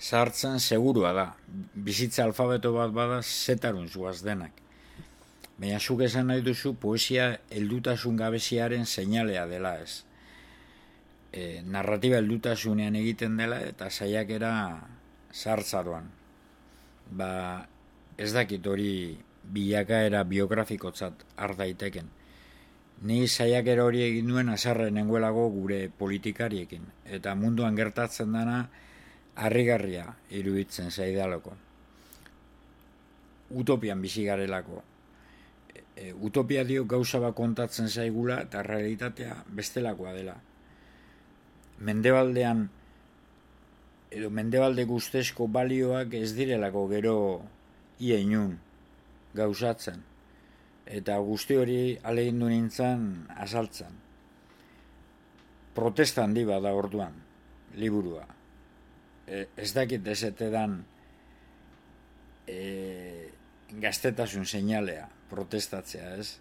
sartzen segurua da. Bizitza alfabeto bat bada zetarun zuaz denak. Baina zuk esan nahi duzu poesia heldutasun gabeziaren seinalea dela ez. Narratiba heldutasunean egiten dela eta saiakera sartzaroan. Ez dakit hori bilakaera biografikotzat har daiteken. Ni saiakera hori egin duen haserre nengoelago gure politikariekin. Eta munduan gertatzen dana harrigarria iruditzen zaidalako. Utopian bizi garelako. Utopia dio gauza bat kontatzen zaigula eta realitatea bestelakoa dela. Mendebaldean edo mendebalde guztezko balioak ez direlako gero ia inun gauzatzen. Eta guzti hori ahalegindu nintzen azaltzen. Protesta handi bada orduan, liburua. Ez dakit ezetedan gaztetasun seinalea protestatzea, ez?